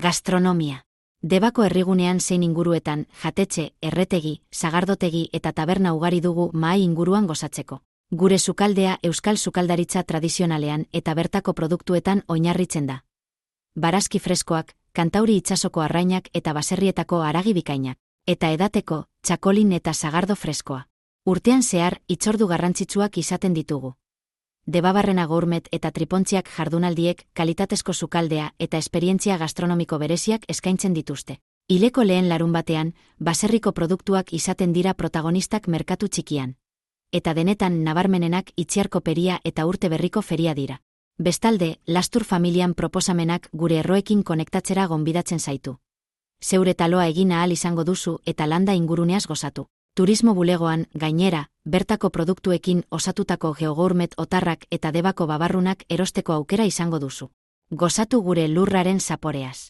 Gastronomia. Debako herrigunean zein inguruetan, jatetxe, erretegi, sagardotegi eta taberna ugari dugu mahai inguruan gozatzeko. Gure sukaldea euskal sukaldaritza tradizionalean eta bertako produktuetan oinarritzen da. Barazki freskoak, Kantauri itsasoko arrainak eta baserrietako haragi bikainak. Eta edateko, txakolin eta sagardo freskoa. Urtean zehar, hitzordu garrantzitsuak izaten ditugu. Debabarrena gourmet eta tripontziak jardunaldiek kalitatezko sukaldea eta esperientzia gastronomiko bereziak eskaintzen dituzte. Hileko lehen larunbatean, baserriko produktuak izaten dira protagonistak merkatu txikian. Eta denetan nabarmenenak Itziarko peria eta urte berriko feria dira. Bestalde, Lastur familian proposamenak gure erroekin konektatzera gonbidatzen zaitu. Zeure taloa egin ahal izango duzu eta landa inguruneaz gozatu. Turismo bulegoan, gainera, bertako produktuekin osatutako geogourmet otarrak eta debako babarrunak erosteko aukera izango duzu. Gozatu gure lurraren zaporeaz.